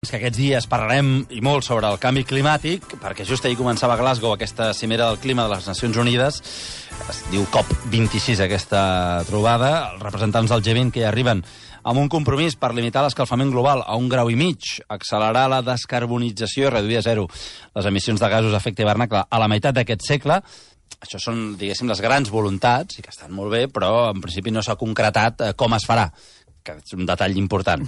És que aquests dies parlarem i molt sobre el canvi climàtic, perquè just ahir començava a Glasgow aquesta cimera del clima de les Nacions Unides. Es diu COP26, aquesta trobada. Els representants del G20 que hi arriben amb un compromís per limitar l'escalfament global a 1,5 graus, accelerar la descarbonització i reduir a zero les emissions de gasos d'efecte hivernacle a la meitat d'aquest segle. Això són, diguéssim, les grans voluntats, i que estan molt bé, però en principi no s'ha concretat com es farà, que és un detall important.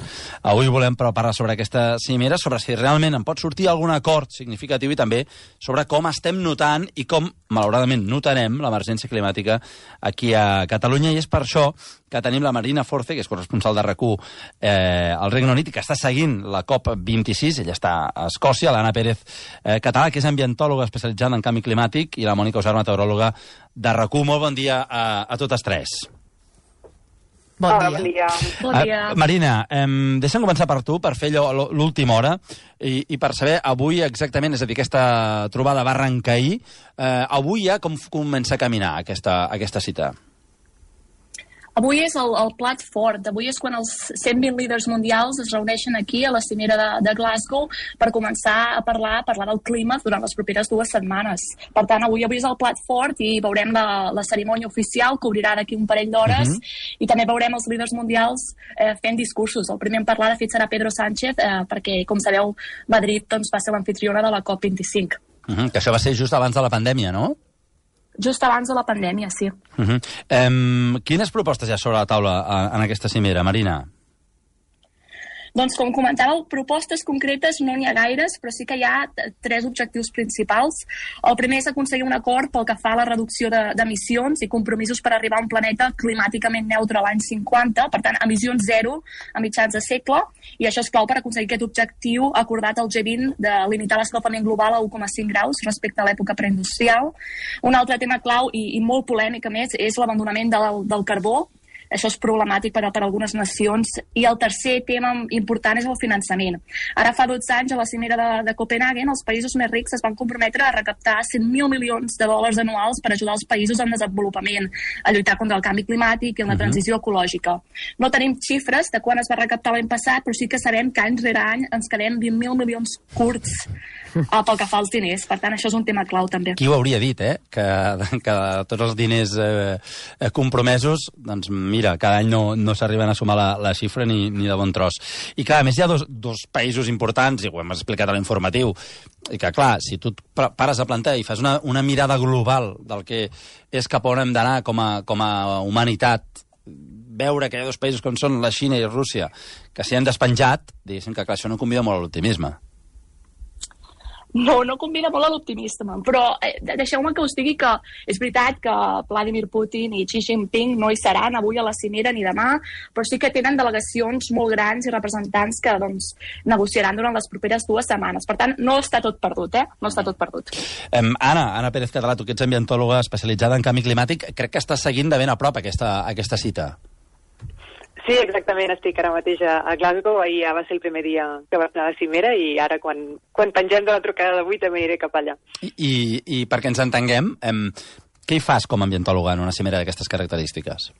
Avui volem parlar sobre aquesta cimera, sobre si realment en pot sortir algun acord significatiu i també sobre com estem notant i com, malauradament, notarem l'emergència climàtica aquí a Catalunya. I és per això que tenim la Marina Force, que és corresponsal de RAC1 al Regne Unit i que està seguint la COP26. Ella està a Escòcia, l'Anna Pérez Català, que és ambientòloga especialitzada en canvi climàtic, i la Mònica Usar, meteoròloga de RAC1. Molt bon dia a totes tres. Bon dia. Bon dia. Marina, deixa'm començar per tu, per fer l'última hora, i per saber avui exactament, és a dir, aquesta trobada va arrencar ahir, avui ja com comença a caminar aquesta cita? Avui és el plat fort. Avui és quan els 120 líders mundials es reuneixen aquí a la cimera de Glasgow per començar a parlar del clima durant les properes 2 setmanes. Per tant, avui és el plat fort i veurem la cerimònia oficial, que obrirà d'aquí un parell d'hores, i també veurem els líders mundials fent discursos. El primer en parlar, de fet, serà Pedro Sánchez, perquè, com sabeu, Madrid va ser l'anfitriona de la COP25. Que això va ser just abans de la pandèmia, no? Just abans de la pandèmia, sí. Quines propostes hi ha sobre la taula en aquesta cimera, Marina? Doncs, com comentàveu, propostes concretes no n'hi ha gaires, però sí que hi ha 3 objectius principals. El primer és aconseguir un acord pel que fa a la reducció d'emissions i compromisos per arribar a un planeta climàticament neutre l'any 50, per tant, emissions zero a mitjans de segle, i això és clau per aconseguir aquest objectiu acordat al G20 de limitar l'escalfament global a 1,5 graus respecte a l'època preindustrial. Un altre tema clau i molt polèmic, a més, és l'abandonament del carbó. Això és problemàtic per algunes nacions. I el tercer tema important és el finançament. Ara fa 12 anys, a la cimera de Copenhagen, els països més rics es van comprometre a recaptar 100.000 milions de dòlars anuals per ajudar els països en desenvolupament, a lluitar contra el canvi climàtic i en la transició ecològica. No tenim xifres de quan es va recaptar l'any passat, però sí que sabem que any rere any ens quedem 20.000 milions curts pel que fa als diners. Per tant, això és un tema clau, també. Qui ho hauria dit, que tots els diners compromesos, doncs mira, cada any no s'arriben a sumar la xifra ni de bon tros. I clar, a més hi ha dos països importants, i ho hem explicat a l'informatiu, i que clar, si tu pares a plantar i fas una mirada global del que és cap on hem d'anar com a humanitat, veure que hi ha 2 països com són la Xina i Rússia, que s'hi han despenjat, diguéssim que clar, això no convida molt a l'optimisme. No convida molt a l'optimisme, però deixeu-me que us digui que és veritat que Vladimir Putin i Xi Jinping no hi seran avui a la cimera ni demà, però sí que tenen delegacions molt grans i representants que negociaran durant les properes 2 setmanes. Per tant, no està tot perdut, No està tot perdut. Anna Pérez Català, tu que ets ambientòloga especialitzada en canvi climàtic, crec que estàs seguint de ben a prop aquesta cita. Sí, exactament, estic ara mateix a Glasgow. Ahir ja va ser el primer dia que va anar a la cimera i ara quan pengem de la trucada d'avui també aniré cap allà. I perquè ens entenguem, què hi fas com a ambientòloga en una cimera d'aquestes característiques?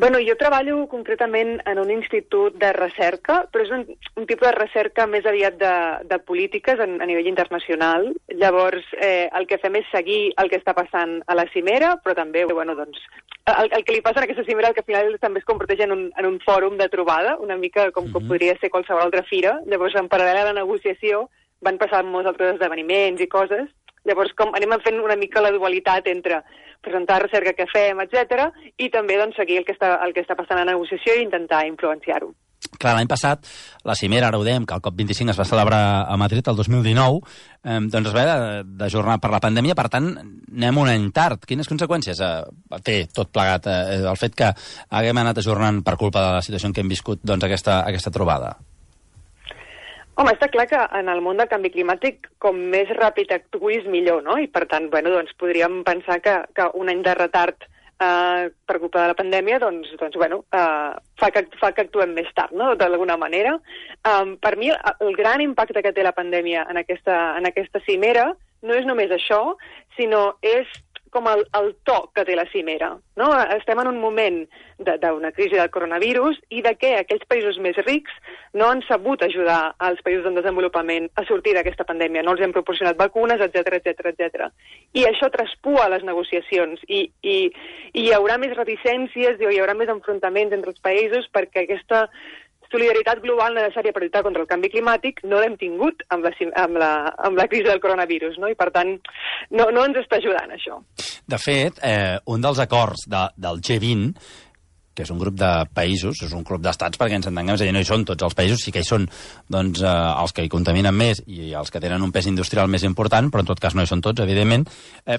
Bueno, jo treballo concretament en un institut de recerca, però és un tipus de recerca més aviat de polítiques a nivell internacional. Llavors, el que fem és seguir el que està passant a la cimera, però també, el que li passa en aquesta cimera, que al final també es converteix en un fòrum de trobada, una mica com podria ser qualsevol altra fira. Llavors, en paral·lel a la negociació, van passar molts altres esdeveniments i coses. Llavors, anem fent una mica la dualitat entre presentar recerca que fem, etc., i també seguir el que està passant a la negociació i intentar influenciar-ho. Clar, l'any passat, la cimera, ara ho dèiem, que el COP25 es va celebrar a Madrid el 2019, doncs es va d'ajornar per la pandèmia, per tant, anem un any tard. Quines conseqüències té tot plegat el fet que haguem anat ajornant per culpa de la situació en què hem viscut aquesta trobada? Home, està clar que en el món del canvi climàtic, com més ràpid actuïs, millor, no? I per tant, podríem pensar que un any de retard per culpa de la pandèmia, fa que actuem més tard, no?, d'alguna manera. Per mi, el gran impacte que té la pandèmia en aquesta cimera no és només això, sinó és com el to que té la cimera, no? Estem en un moment d'una crisi del coronavirus i de què aquells països més rics no han sabut ajudar als països en desenvolupament a sortir d'aquesta pandèmia, no els hem proporcionat vacunes, etc. I això traspua les negociacions i hi haurà més reticències, hi haurà més enfrontaments entre els països perquè aquesta solidaritat global necessària per lluitar contra el canvi climàtic no l'hem tingut amb la crisi del coronavirus, no? I per tant no ens està ajudant això. De fet, un dels acords del G20, que és un grup de països, és un club d'estats perquè ens entenguem, és a dir, no hi són tots els països, sí que hi són doncs, els que hi contaminen més i els que tenen un pes industrial més important, però en tot cas no hi són tots, evidentment,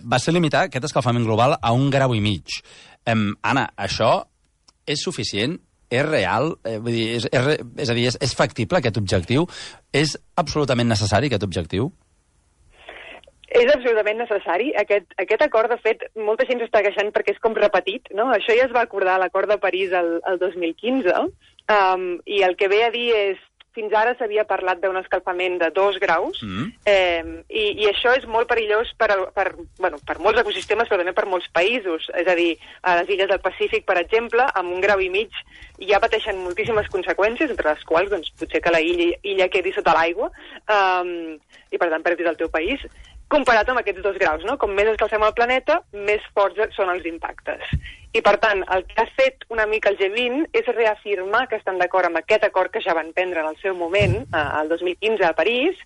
va ser limitar aquest escalfament global a 1,5 graus. Anna, això és suficient? És real? Vull dir, és a dir, és factible aquest objectiu? És absolutament necessari aquest objectiu? És absolutament necessari. Aquest acord, de fet, molta gent s'està queixant perquè és com repetit, no? Això ja es va acordar a l'acord de París el 2015, i el que ve a dir és fins ara s'havia parlat d'un escalfament de 2 graus, i això és molt perillós per molts ecosistemes, però també per molts països. És a dir, a les illes del Pacífic, per exemple, amb 1,5 graus ja pateixen moltíssimes conseqüències, entre les quals doncs, potser que la illa quedi sota l'aigua, i per tant perdis el teu país, comparat amb aquests 2 graus, no? Com més escalfem el planeta, més forts són els impactes. I, per tant, el que ha fet una mica el G20 és reafirmar que estan d'acord amb aquest acord que ja van prendre en el seu moment, el 2015 a París.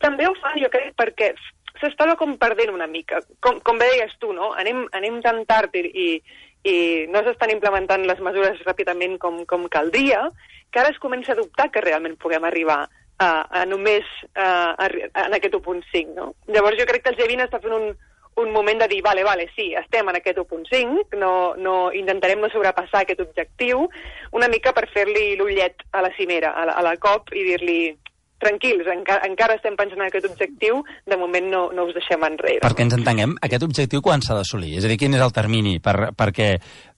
També ho fa, jo crec, perquè s'estava com perdent una mica. Com bé deies tu, no? Anem tan tard i no s'estan implementant les mesures ràpidament com caldria, que ara es comença a dubtar que realment puguem arribar a només en aquest 1,5, no? Llavors jo crec que el G20 està fent un moment de dir, vale, sí, estem en aquest 1,5, no intentarem no sobrepassar aquest objectiu, una mica per fer-li l'ullet a la cimera, a la COP, i dir-li, tranquils, encara estem pensant en aquest objectiu, de moment no us deixem enrere. Perquè ens entenguem, aquest objectiu quan s'ha d'assolir? És a dir, quin és el termini perquè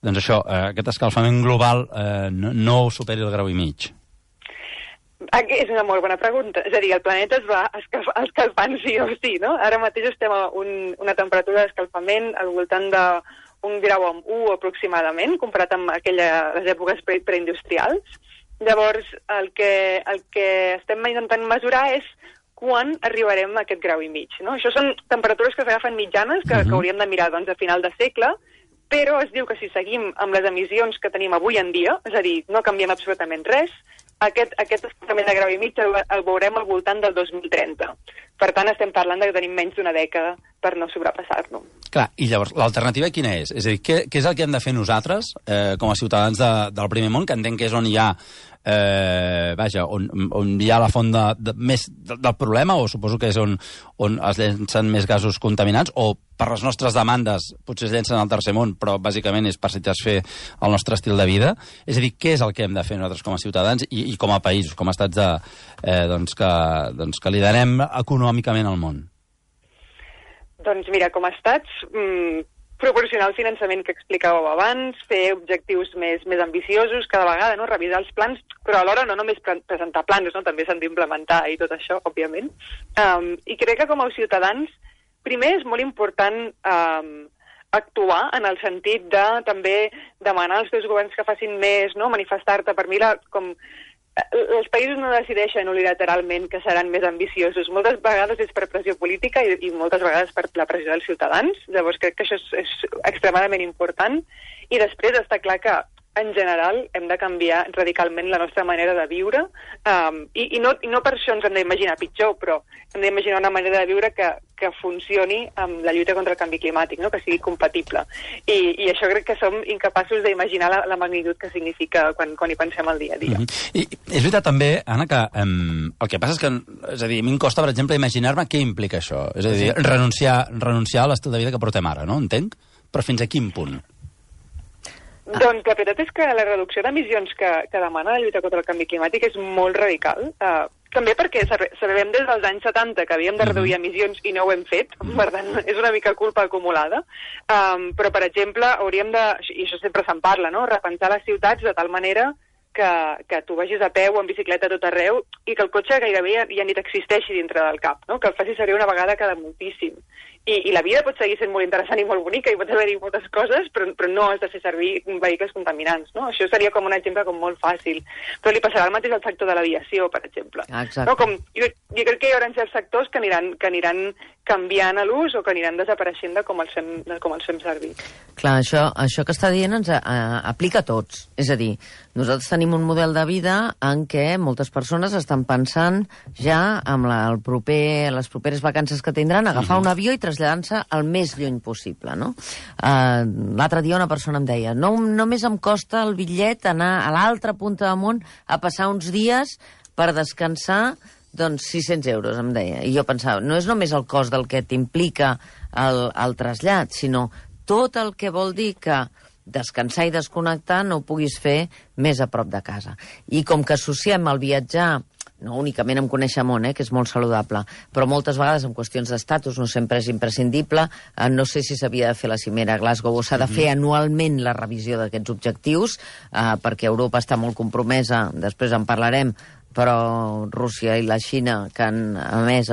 doncs això, aquest escalfament global no superi el 1,5 graus? És una molt bona pregunta. És a dir, el planeta es va escalfant sí o sí, no? Ara mateix estem a una temperatura d'escalfament al voltant d'1,1 graus aproximadament, comparat amb les èpoques preindustrials. Llavors, el que estem intentant mesurar és quan arribarem a aquest 1,5 graus, no? Això són temperatures que s'agafen mitjanes, que hauríem de mirar doncs, a final de segle, però es diu que si seguim amb les emissions que tenim avui en dia, és a dir, no canviem absolutament res, aquest escalfament de 1,5 graus el veurem al voltant del 2030. Per tant, estem parlant de que tenim menys d'una dècada per no sobrepassar-lo. Clar, i llavors, l'alternativa quina és? És a dir, què és el que hem de fer nosaltres, com a ciutadans del primer món, que entenc que és on hi ha on hi ha la font més del problema, o suposo que és on es llencen més gasos contaminants, o per les nostres demandes potser es llencen al tercer món, però bàsicament és per satisfer el nostre estil de vida. És a dir, què és el que hem de fer nosaltres com a ciutadans i com a països, com a estats que liderem econòmicament al món? Doncs mira, com a estats, proporcionar el finançament que explicàveu abans, fer objectius més ambiciosos cada vegada, no? Revisar els plans, però alhora no només presentar plans, no? També s'han d'implementar i tot això, òbviament. I crec que com a ciutadans, primer és molt important actuar en el sentit de també demanar als teus governs que facin més, no? Manifestar-te. Per mi, els països no decideixen unilateralment que seran més ambiciosos. Moltes vegades és per pressió política i moltes vegades per la pressió dels ciutadans. Llavors crec que això és extremadament important. I després està clar que en general hem de canviar radicalment la nostra manera de viure i no per això ens hem d'imaginar pitjor, però hem d'imaginar una manera de viure que funcioni amb la lluita contra el canvi climàtic, no? Que sigui compatible. I això crec que som incapaços d'imaginar la magnitud que significa quan hi pensem al dia a dia. I és veritat també, Anna, que el que passa és que, és a dir, a mi em costa, per exemple, imaginar-me què implica això. És a dir, renunciar a l'estil de vida que portem ara, no? Entenc? Però fins a quin punt? Doncs la veritat és que la reducció d'emissions que demana la lluita contra el canvi climàtic és molt radical. També perquè sabem des dels anys 70 que havíem de reduir emissions i no ho hem fet, per tant és una mica culpa acumulada. Però, per exemple, hauríem de, i això sempre se'n parla, no? Repensar les ciutats de tal manera que tu vagis a peu o en bicicleta a tot arreu i que el cotxe gairebé ja ni t'existeixi dintre del cap, no? Que el facis servir una vegada cada moltíssim. I la vida pot seguir sent molt interessant i molt bonica i pot haver-hi moltes coses, però no has de fer servir vehicles contaminants, no? Això seria com un exemple com molt fàcil. Però li passarà el mateix al sector de l'aviació, per exemple. Exacte. No? Jo crec que hi haurà certs sectors que aniran canviant a l'ús o que aniran desapareixent de com els fem servir. Clar, això que està dient ens aplica a tots. És a dir, nosaltres tenim un model de vida en què moltes persones estan pensant ja amb les properes vacances que tindran, agafar un avió i traslladar-se el més lluny possible, no? L'altre dia una persona em deia no només em costa el bitllet anar a l'altra punta del món a passar uns dies per descansar, doncs 600 euros, em deia. I jo pensava, no és només el cost del que t'implica el trasllat, sinó tot el que vol dir que descansar i desconnectar no ho puguis fer més a prop de casa. I com que associem el viatjar no únicament amb conèixer món, que és molt saludable, però moltes vegades en qüestions d'estatus no sempre és imprescindible. No sé si s'havia de fer la cimera a Glasgow o s'ha de fer anualment la revisió d'aquests objectius, perquè Europa està molt compromesa, després en parlarem, però Rússia i la Xina, que han emès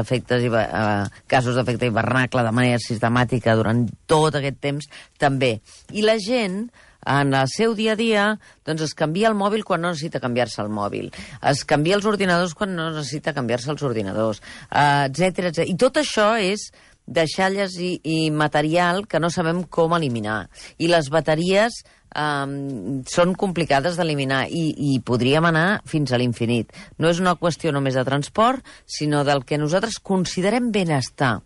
casos d'efecte hivernacle de manera sistemàtica durant tot aquest temps, també. I la gent, en el seu dia a dia, doncs es canvia el mòbil quan no necessita canviar-se el mòbil, es canvia els ordinadors quan no necessita canviar-se els ordinadors, etcètera, etcètera. I tot això és deixalles i material que no sabem com eliminar. I les bateries són complicades d'eliminar i podríem anar fins a l'infinit. No és una qüestió només de transport, sinó del que nosaltres considerem benestar.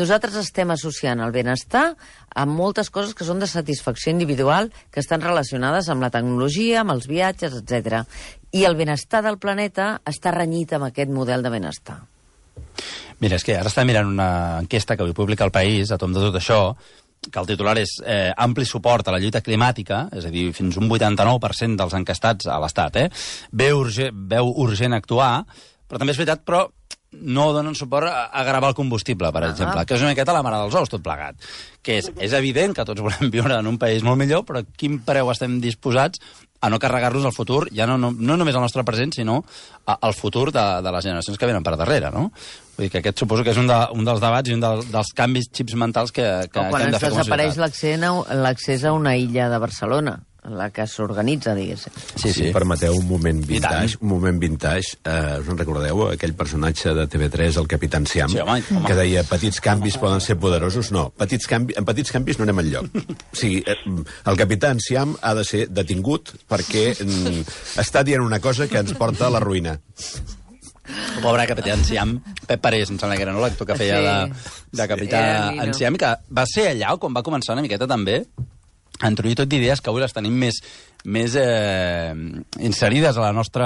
Nosaltres estem associant el benestar amb moltes coses que són de satisfacció individual, que estan relacionades amb la tecnologia, amb els viatges, etc. I el benestar del planeta està renyit amb aquest model de benestar. Mira, és que ara està mirant una enquesta que avui publica El País a tomb de tot això, que el titular és ampli suport a la lluita climàtica, és a dir, fins un 89% dels enquestats a l'Estat, veu urgent actuar, però també és veritat, però no donen suport a gravar el combustible, per exemple, que és una miqueta la mare dels ous, tot plegat. Que és evident que tots volem viure en un país molt millor, però a quin preu estem disposats a no carregar-nos el futur, ja no només el nostre present, sinó el futur de les generacions que venen per darrere, no? Vull dir que aquest suposo que és un dels debats i un dels canvis xips mentals que hem de fer com a societat. Quan desapareix l'accés a una illa de Barcelona, la que s'organitza, diguéssim. Si permeteu un moment vintage, us en recordeu aquell personatge de TV3, el Capità Enciam, que deia petits canvis poden ser poderosos? No, en petits canvis no anem enlloc. O sigui, el Capità Enciam ha de ser detingut perquè està dient una cosa que ens porta a la ruïna. El pobre Capità Enciam, Pep Parés, em sembla que era l'actor que feia de Capità Enciam, que va ser allà quan va començar una miqueta també a introduir tot d'idees que avui les tenim més inserides al nostre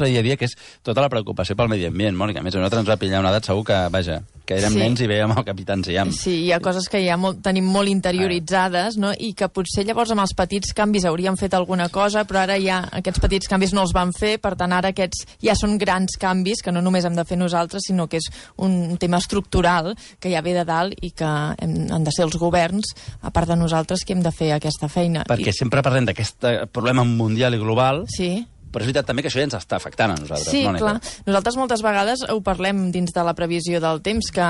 dia a dia, que és tota la preocupació pel medi ambient. Mònica, a més, a nosaltres ens va pillar una edat segur que érem nens i veiem el Capità Enciam. Sí, hi ha coses que ja tenim molt interioritzades, no? I que potser llavors amb els petits canvis hauríem fet alguna cosa, però ara ja aquests petits canvis no els van fer, per tant ara aquests ja són grans canvis que no només hem de fer nosaltres, sinó que és un tema estructural que ja ve de dalt i que han de ser els governs, a part de nosaltres, que hem de fer aquesta feina. Perquè sempre parlem d'aquest problema mundial i global, sí, però és veritat també que això ja ens està afectant a nosaltres. Sí, Mònica. clar. Nosaltres moltes vegades ho parlem dins de la previsió del temps, que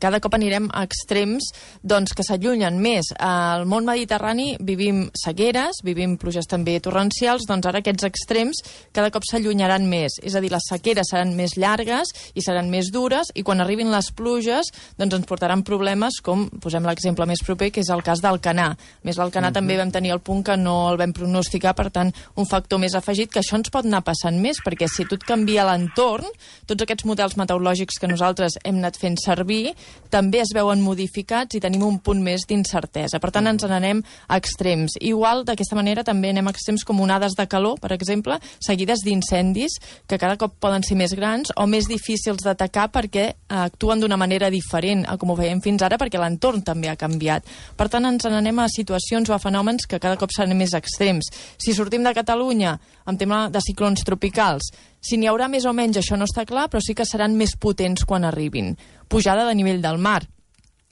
cada cop anirem a extrems doncs, que s'allunyen més. Al món mediterrani vivim sequeres, vivim pluges també torrencials, doncs ara aquests extrems cada cop s'allunyaran més. És a dir, les sequeres seran més llargues i seran més dures, i quan arribin les pluges doncs ens portaran problemes com, posem l'exemple més proper, que és el cas d'Alcanar. A més, l'Alcanar també vam tenir el punt que no el vam pronosticar, per tant, un factor més afegit, que això ens pot anar passant més, perquè si tot canvia l'entorn, tots aquests models meteorològics que nosaltres hem anat fent servir també es veuen modificats i tenim un punt més d'incertesa. Per tant, ens n'anem a extrems. Igual, d'aquesta manera, també anem a extrems com onades de calor, per exemple, seguides d'incendis, que cada cop poden ser més grans o més difícils d'atacar perquè actuen d'una manera diferent a com ho veiem fins ara, perquè l'entorn també ha canviat. Per tant, ens n'anem a situacions o a fenòmens que cada cop seran més extrems. Si sortim de Catalunya amb tema de ciclons tropicals, si n'hi haurà més o menys això no està clar, però sí que seran més potents quan arribin. Pujada de nivell del mar.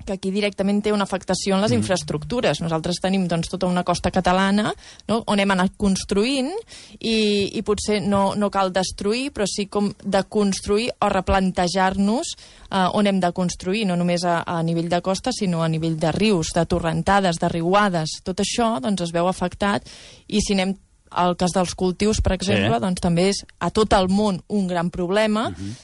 que aquí directament té una afectació en les infraestructures. Nosaltres tenim doncs, tota una costa catalana, no?, on hem anat construint i potser no cal destruir, però sí com de construir o replantejar-nos on hem de construir, no només a nivell de costa, sinó a nivell de rius, de torrentades, de riuades. Tot això doncs, es veu afectat, i si anem el cas dels cultius, per exemple, doncs també és a tot el món un gran problema,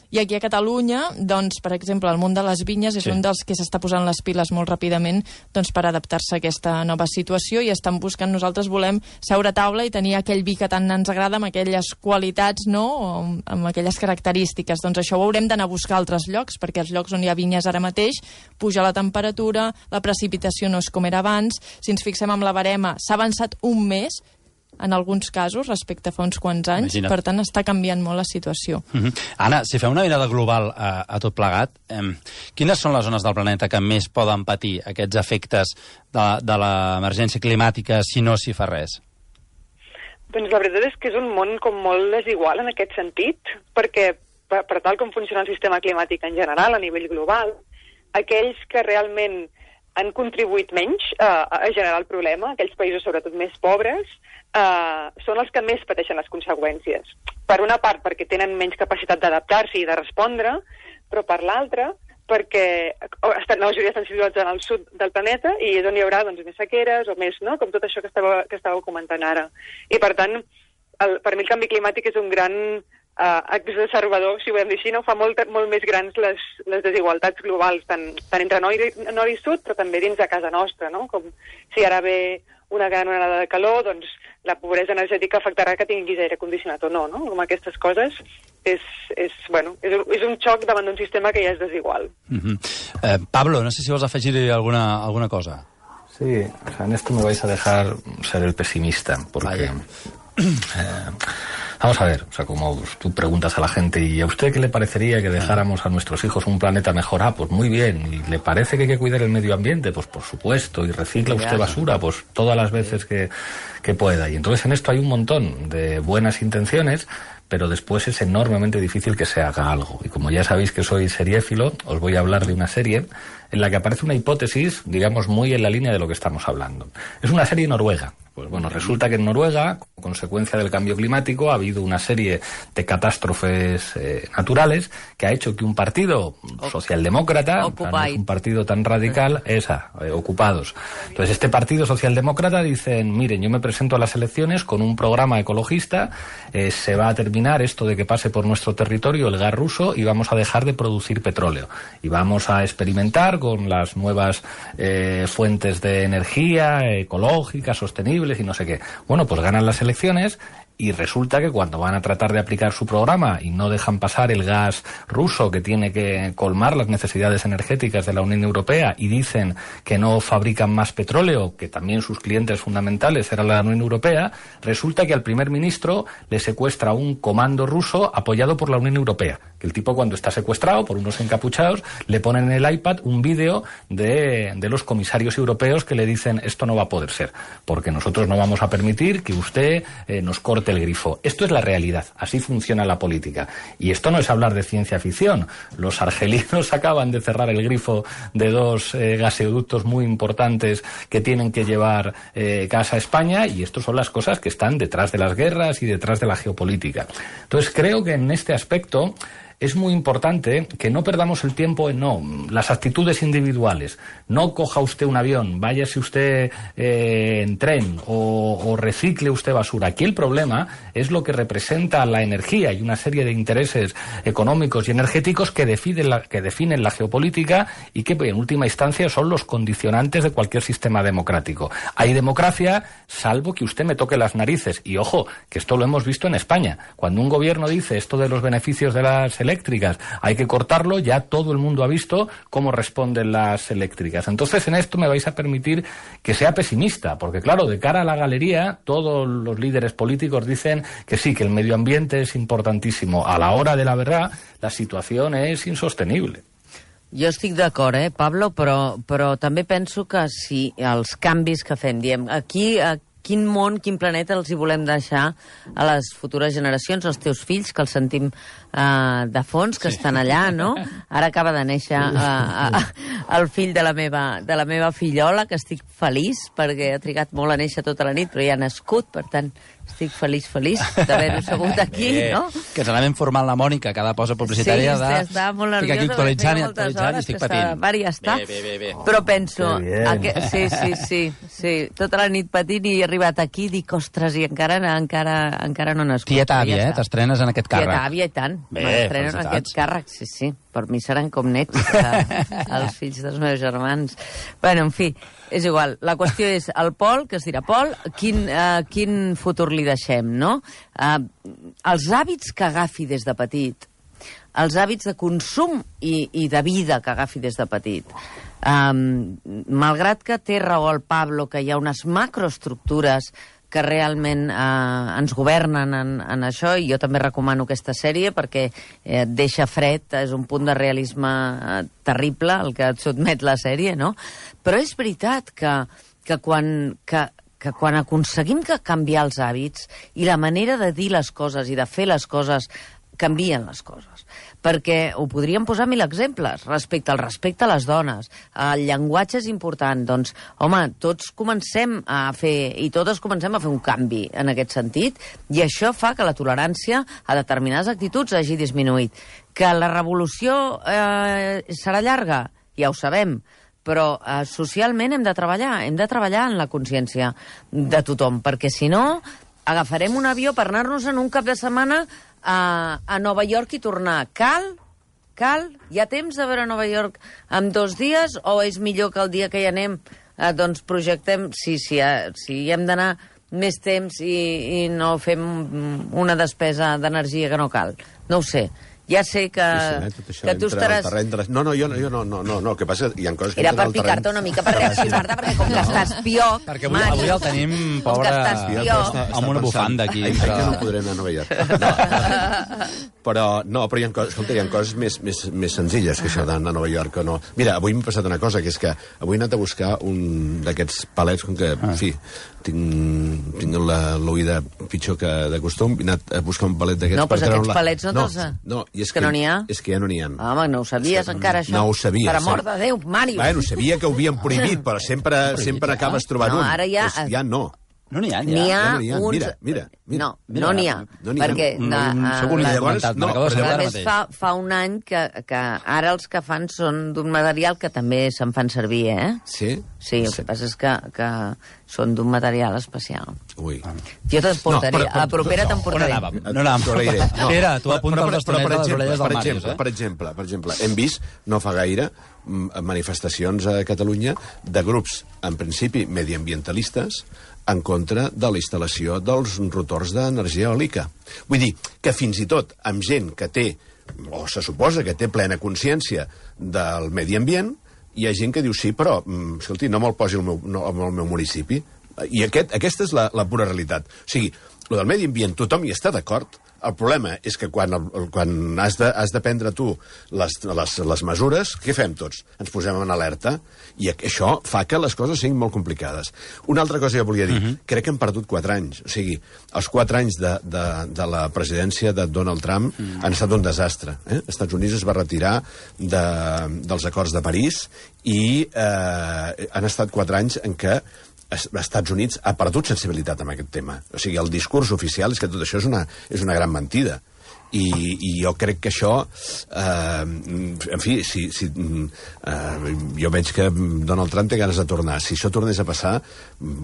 i aquí a Catalunya, doncs, per exemple, el món de les vinyes és un dels que s'està posant les piles molt ràpidament doncs, per adaptar-se a aquesta nova situació, i estan buscant, nosaltres volem seure a taula i tenir aquell vi que tant ens agrada, amb aquelles qualitats, no?, o amb aquelles característiques. Doncs això ho haurem d'anar a buscar a altres llocs, perquè als llocs on hi ha vinyes ara mateix puja la temperatura, la precipitació no és com era abans. Si ens fixem amb la barema, s'ha avançat un mes, en alguns casos, respecte a fa uns quants anys. Imagina't. Per tant, està canviant molt la situació. Anna, si fem una mirada global a tot plegat, quines són les zones del planeta que més poden patir aquests efectes de l'emergència climàtica si no s'hi fa res? Doncs la veritat és que és un món com molt desigual en aquest sentit, perquè per tal com funciona el sistema climàtic en general, a nivell global, aquells que realment han contribuït menys a generar el problema, aquells països sobretot més pobres, són els que més pateixen les conseqüències. Per una part, perquè tenen menys capacitat d'adaptar-s'hi i de respondre, però per l'altra, perquè la majoria estan situats en el sud del planeta i és on hi haurà doncs, més sequeres o més, no?, com tot això que estàveu comentant ara. I per tant, per mi el canvi climàtic és un gran exacerbador, si ho volem dir així, no? Fa molt més grans les desigualtats globals, tant entre nord i sud, però també dins de casa nostra, no? Com si ara ve una gran onada de calor, doncs la pobresa energètica afectarà que tinguis aire condicionat o no, no? Com aquestes coses és un xoc davant d'un sistema que ja és desigual. Pablo, no sé si vols afegir alguna cosa. Sí, o sea, en esto me vais a dejar ser el pesimista, porque... Vamos a ver, o sea, como tú preguntas a la gente, ¿y a usted qué le parecería que dejáramos a nuestros hijos un planeta mejor? Ah, pues muy bien. ¿Y le parece que hay que cuidar el medio ambiente? Pues por supuesto. ¿Y recicla usted basura? Pues todas las veces que pueda. Y entonces en esto hay un montón de buenas intenciones, pero después es enormemente difícil que se haga algo. Y como ya sabéis que soy seriéfilo, os voy a hablar de una serie en la que aparece una hipótesis, digamos, muy en la línea de lo que estamos hablando. Es una serie noruega. Pues bueno, resulta que en Noruega, como consecuencia del cambio climático, ha habido una serie de catástrofes naturales que ha hecho que un partido socialdemócrata, no es un partido tan radical, ocupados. Entonces este partido socialdemócrata dicen, miren, yo me presento a las elecciones con un programa ecologista, se va a terminar esto de que pase por nuestro territorio el gas ruso y vamos a dejar de producir petróleo. Y vamos a experimentar con las nuevas fuentes de energía ecológicas, sostenibles y no sé qué. Bueno, pues ganan las elecciones y resulta que cuando van a tratar de aplicar su programa y no dejan pasar el gas ruso que tiene que colmar las necesidades energéticas de la Unión Europea y dicen que no fabrican más petróleo, que también sus clientes fundamentales eran la Unión Europea, resulta que al primer ministro le secuestra un comando ruso apoyado por la Unión Europea. Que el tipo, cuando está secuestrado por unos encapuchados, le ponen en el iPad un vídeo de los comisarios europeos que le dicen esto no va a poder ser, porque nosotros no vamos a permitir que usted nos corte el grifo. Esto es la realidad, así funciona la política. Y esto no es hablar de ciencia ficción. Los argelinos acaban de cerrar el grifo de 2 gasoductos muy importantes que tienen que llevar gas a España, y esto son las cosas que están detrás de las guerras y detrás de la geopolítica. Entonces creo que en este aspecto es muy importante que no perdamos el tiempo en las actitudes individuales. No coja usted un avión, váyase usted en tren o recicle usted basura. Aquí el problema es lo que representa la energía y una serie de intereses económicos y energéticos que definen la geopolítica y que en última instancia son los condicionantes de cualquier sistema democrático. Hay democracia salvo que usted me toque las narices. Y ojo, que esto lo hemos visto en España. Cuando un gobierno dice esto de los beneficios de las eléctricas hay que cortarlo, ya todo el mundo ha visto cómo responden las eléctricas. Entonces en esto me vais a permitir que sea pesimista, porque claro, de cara a la galería todos los líderes políticos dicen que sí, que el medio ambiente és importantísimo. A la hora de la verdad la situació és insostenible. Jo estic d'acord, Pablo, però també penso que si els canvis que fem, diem, aquí quin món, quin planeta els hi volem deixar a les futures generacions, als teus fills, que els sentim de fons que estan allà, no? Ara acaba de néixer el fill de la meva fillola, que estic feliç, perquè ha trigat molt a néixer tota la nit, però ja ha nascut, per tant, estic feliç d'haver-ho sabut aquí, no? Que ens n'anem formant la Mònica, cada posa publicitària de... Sí, estava molt nerviosa, estic aquí actualitzant i estic patint. Mari, ja està. Bé. Però penso... Sí, tota la nit patint i he arribat aquí i dic, ostres, i encara no ha nascut. Tieta àvia, t'estrenes en aquest càrrec. Tieta àvia, i tant. M'estreno en aquest càrrec, sí. Per mi seran com nets, els fills dels meus germans. Bueno, en fi, és igual. La qüestió és el Pol, que es dirà Pol, quin futur li deixem, no? Els hàbits que agafi des de petit, els hàbits de consum i de vida que agafi des de petit, malgrat que té raó el Pablo, que hi ha unes macroestructures que realment ens governen en això, i jo també recomano aquesta sèrie perquè et deixa fred, és un punt de realisme terrible el que et sotmet la sèrie, no? Però és veritat que quan aconseguim canviar els hàbits i la manera de dir les coses i de fer les coses, canvien les coses. Perquè ho podríem posar 1000 exemples respecte al respecte a les dones. El llenguatge és important. Doncs, home, tots comencem a fer, i totes comencem a fer un canvi en aquest sentit, i això fa que la tolerància a determinades actituds hagi disminuït. Que la revolució serà llarga, ja ho sabem, però socialment hem de treballar en la consciència de tothom, perquè si no agafarem un avió per anar-nos en un cap de setmana a Nova York i tornar. Cal? Hi ha temps de veure Nova York en 2 dies o és millor que el dia que hi anem doncs projectem, si hem d'anar més temps i no fem una despesa d'energia que no cal? No ho sé. Ja sé que tu estaràs... No, jo no. El que passa que hi ha coses que... Era per picar-te una mica, per reaccionar-te, perquè com que estàs pioc... Perquè avui el tenim, pobre, amb una bufanda aquí. Que no podré anar a Nova York. Però hi ha coses més senzilles que això d'anar a Nova York o no. Mira, avui m'ha passat una cosa, que és que avui he anat a buscar un d'aquests palets, com que, en fi, tinc l'oïda pitjor que de costum, he anat a buscar un palet d'aquests... No, però aquests palets no te'ls... No, és que no n'hi ha? És que ja no n'hi ha. Home, no ho sabies encara, això? No ho sabia. Per amor de Déu, Màrius. Bueno, sabia que ho havien prohibit, però sempre acabes trobant un. No, ara ja... Ja no. No n'hi ha, N'hi ha uns... Mira. No n'hi ha. Perquè... Llavors, fa un any que ara els que fan són d'un material que també se'n fan servir, eh? Sí? Sí, el que passa és que són d'un material especial. Ui. Jo t'emportaré, a la propera t'emportaré. No anàvem. Pere, tu apunta els bastonets a les orelles del Màrius, eh? Per exemple, hem vist, no fa gaire, manifestacions a Catalunya de grups, en principi, mediambientalistes, en contra de la instal·lació dels rotors d'energia eòlica. Vull dir que fins i tot amb gent que té, o se suposa que té plena consciència del medi ambient, hi ha gent que diu sí, però, escolti, no me'l posi al meu municipi. I aquesta és la pura realitat. O sigui, el del medi ambient tothom hi està d'acord. El problema és que quan has de prendre tu les mesures, què fem tots? Ens posem en alerta i això fa que les coses siguin molt complicades. Una altra cosa que volia dir, crec que hem perdut 4 anys. O sigui, els 4 anys de la presidència de Donald Trump han estat un desastre. Els Estats Units es va retirar dels acords de París i han estat 4 anys en què els Estats Units ha perdut sensibilitat amb aquest tema. O sigui, el discurs oficial és que tot això és una gran mentida. I jo crec que això, en fi, jo veig que Donald Trump té ganes de tornar. Si això tornés a passar,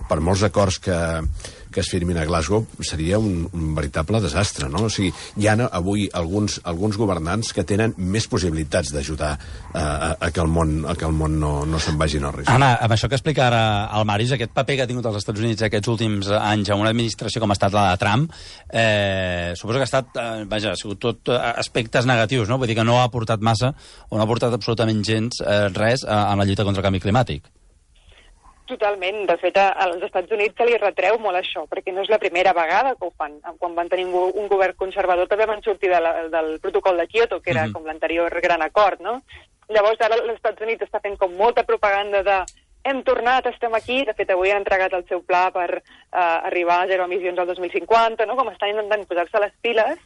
per molts acords que es firmin a Glasgow, seria un veritable desastre, no? O sigui, hi ha avui alguns governants que tenen més possibilitats d'ajudar a que el món no se'n vagi en el risc. Anna, amb això que explica ara el Màrius, aquest paper que ha tingut els Estats Units aquests últims anys en una administració com ha estat la de Trump, suposo que ha estat, ha sigut tot aspectes negatius, no? Vull dir que no ha aportat massa, o no ha aportat absolutament gens res en la lluita contra el canvi climàtic. Totalment. De fet, als Estats Units se li retreu molt això, perquè no és la primera vegada que ho fan. Quan van tenir un govern conservador també van sortir del protocol de Kyoto, que era com l'anterior gran acord, no? Llavors, ara els Estats Units està fent com molta propaganda de hem tornat, estem aquí. De fet, avui han entregat el seu pla per arribar a 0 emissions al 2050, no? Com estan intentant posar-se les piles.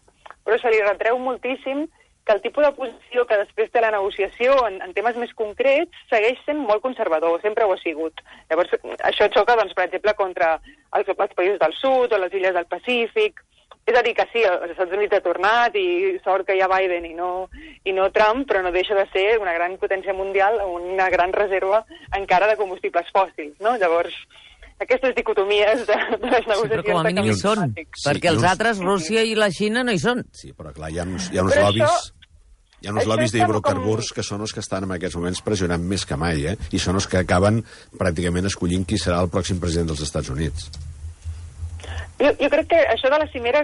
però se li retreu moltíssim que el tipus de posició que després té la negociació en temes més concrets segueix sent molt conservador, sempre ho ha sigut. Llavors, això xoca, doncs, per exemple, contra els països del sud o les illes del Pacífic. És a dir, que sí, els Estats Units ha tornat i sort que hi ha Biden i no Trump, però no deixa de ser una gran potència mundial, una gran reserva encara de combustibles fòssils, no? Llavors, aquestes dicotomies de les negociacions... Sí, però com a mínim hi són, perquè els altres, Rússia i la Xina, no hi són. Sí, però clar, hi ha uns lobbies... Hi ha uns lobbies d'hidrocarburs que són els que estan en aquests moments pressionant més que mai, i són els que acaben pràcticament escollint qui serà el pròxim president dels Estats Units. Jo crec que això de la cimera,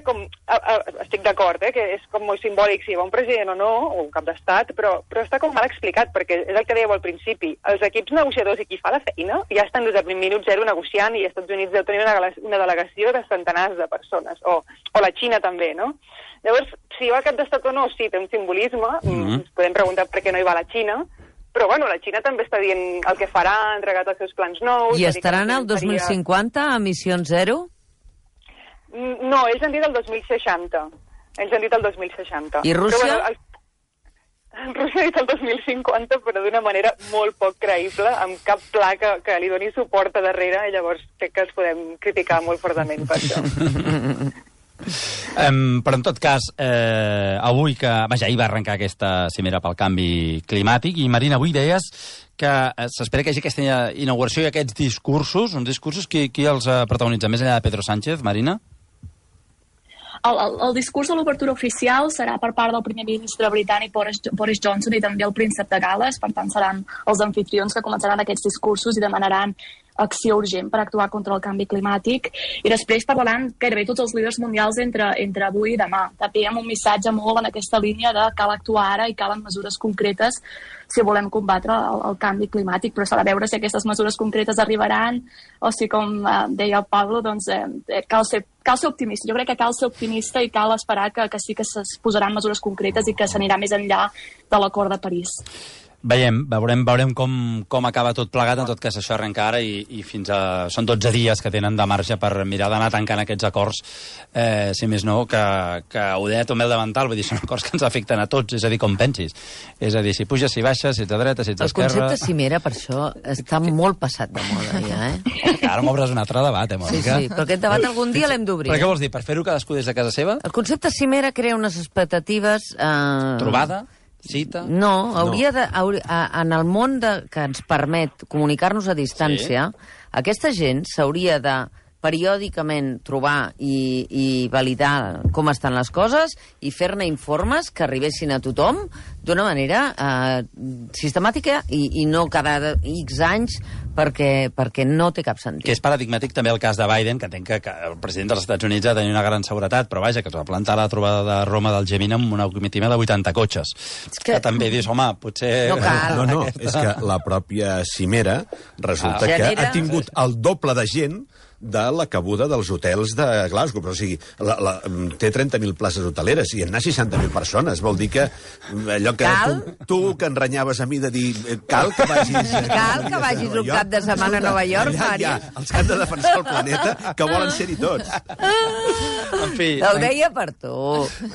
estic d'acord, que és com molt simbòlic si hi va un president o no, o un cap d'estat, però està com mal explicat, perquè és el que dèieu al principi. Els equips negociadors i qui fa la feina ja estan des del minut zero negociant i als Estats Units deu tenir una delegació de centenars de persones, o la Xina també, no? Llavors, si hi va cap d'estat o no, sí, té un simbolisme, ens podem preguntar per què no hi va la Xina, però bueno, la Xina també està dient el que farà, ha entregat els seus plans nous... I estaran al 2050 a emissions zero? No, ells han dit el 2060. Ells han dit el 2060. I Rússia? Però, bueno, Rússia ha dit el 2050, però d'una manera molt poc creïble, amb cap pla que li doni suport a darrere, i llavors crec que els podem criticar molt fortament per això. Però en tot cas, avui que... Vaja, ahir va arrencar aquesta cimera pel canvi climàtic, i Marina, avui deies que s'espera que hi hagi aquesta inauguració i aquests discursos, uns discursos, qui els protagonitza? Més enllà de Pedro Sánchez, Marina? El discurs de l'obertura oficial serà per part del primer ministre britànic Boris Johnson i també el príncep de Gal·les, per tant seran els anfitrions que començaran aquests discursos i demanaran acció urgent per actuar contra el canvi climàtic, i després parlaran gairebé tots els líders mundials entre avui i demà. També amb un missatge molt en aquesta línia de cal actuar ara i calen mesures concretes si volem combatre el canvi climàtic, però s'ha de veure si aquestes mesures concretes arribaran o si, com deia el Pablo, doncs, cal ser optimista. Jo crec que cal ser optimista i cal esperar que sí que es posaran mesures concretes i que s'anirà més enllà de l'acord de París. Veurem com acaba tot plegat. En tot cas, això arrenca ara i fins a... Són 12 dies que tenen de marge per mirar d'anar tancant aquests acords, si més no, que ho deia també el davantal, vull dir, són acords que ens afecten a tots, és a dir, com pensis. És a dir, si puges, si baixes, si ets a dreta, si ets a esquerra... El concepte cimera, per això, està molt passat de moda, ja, Ara m'obres un altre debat, Mònica? Sí, però aquest debat algun dia l'hem d'obrir. Però què vols dir, per fer-ho cadascú des de casa seva? El concepte cimera crea unes expectatives... Trobada? Cita? No, hauria de... En el món que ens permet comunicar-nos a distància, aquesta gent s'hauria de periòdicament trobar i validar com estan les coses i fer-ne informes que arribessin a tothom d'una manera sistemàtica i no cada X anys perquè no té cap sentit. Que és paradigmàtic també el cas de Biden, que entenc que el president dels Estats Units ha de tenir una gran seguretat, però vaja, que es va plantar a la trobada de Roma del G20 amb una comitiva de 80 cotxes. Que també dius, home, potser... No, és que la pròpia cimera resulta que ha tingut el doble de gent de la cabuda dels hotels de Glasgow. Però, o sigui, té 30.000 places hoteleres i en anar 60.000 persones. Vol dir que allò que tu que enranyaves a mi de dir cal que vagis un cap de setmana a Nova York, Mari. Els que han de defensar el planeta, que volen ser-hi tots. En fi... Ho deia per tu.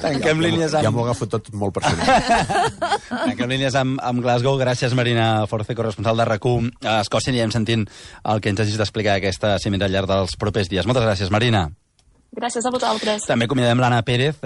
Tanquem línies amb... Ja m'ho agafo tot molt personal. Tanquem línies amb Glasgow. Gràcies, Marina Force, corresponsal de RAC1 a Escòcia. Anirem sentint el que ens hagis d'explicar aquesta cimera al llarg dels propers dies. Moltes gràcies, Marina. Gràcies a vosaltres. També acomiadem l'Anna Pérez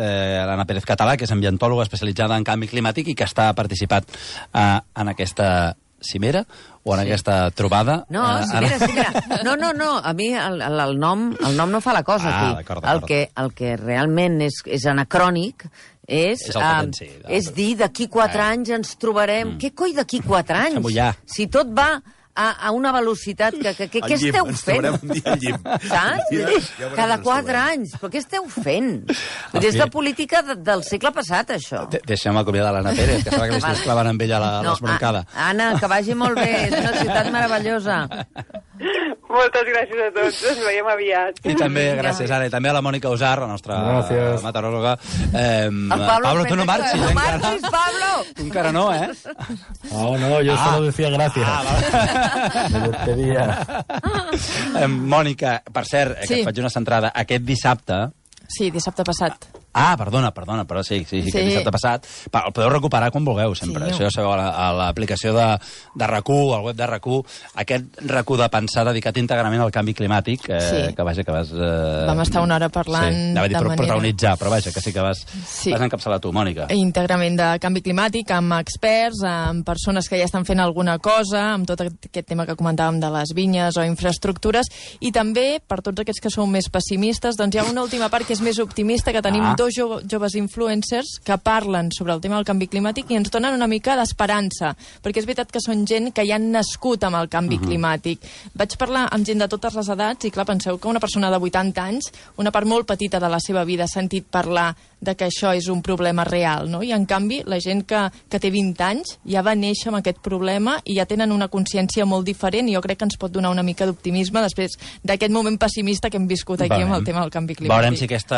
Català, que és ambientòloga especialitzada en canvi climàtic i que està participat en aquesta cimera o en aquesta trobada. No, cimera. No, a mi el nom no fa la cosa aquí. D'acord. El que realment és anacrònic és dir d'aquí 4 anys ens trobarem... Què coi d'aquí 4 anys? Si tot va a una velocitat que què esteu fent? Ens trobarem un dia al llim. Saps? Cada 4 anys. Però què esteu fent? És la política del segle passat, això. Deixem acomiadar l'Anna Pérez, que serà que li estàs clavant amb ella l'esbroncada. Anna, que vagi molt bé. És una ciutat meravellosa. Moltes gràcies a tots, ens veiem aviat. I també, gràcies, Anna, i també a la Mònica Usar, la nostra meteoròloga. Pablo, tu no marxis. No marxis, Pablo! Tu encara no, eh? No, yo solo decía gracias. Me despedía. Mònica, per cert, que et faig una centrada. Aquest dissabte... Sí, dissabte passat. Ah, perdona, però sí, que dissabte passat. El podeu recuperar quan vulgueu, sempre. Això ja sabeu, a l'aplicació de RAC1, al web de RAC1, aquest RAC1 de pensar dedicat íntegrament al canvi climàtic, que vaja, que vas... Vam estar una hora parlant de manera... protagonitzar, però vaja, que sí que vas encapçalar tu, Mònica. Íntegrament de canvi climàtic, amb experts, amb persones que ja estan fent alguna cosa, amb tot aquest tema que comentàvem de les vinyes o infraestructures, i també, per tots aquests que sou més pessimistes, doncs hi ha una última part que és més optimista, que tenim dos joves influencers que parlen sobre el tema del canvi climàtic i ens donen una mica d'esperança, perquè és veritat que són gent que ja han nascut amb el canvi climàtic. Vaig parlar amb gent de totes les edats i, clar, penseu que una persona de 80 anys, una part molt petita de la seva vida, ha sentit parlar de que això és un problema real, no? I, en canvi, la gent que té 20 anys ja va néixer amb aquest problema i ja tenen una consciència molt diferent, i jo crec que ens pot donar una mica d'optimisme després d'aquest moment pessimista que hem viscut aquí amb el tema del canvi climàtic. Veurem si aquest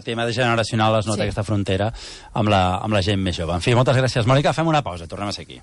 tema de generacional es nota aquesta frontera amb la gent més jove. En fi, moltes gràcies, Mònica. Fem una pausa, tornem a ser aquí.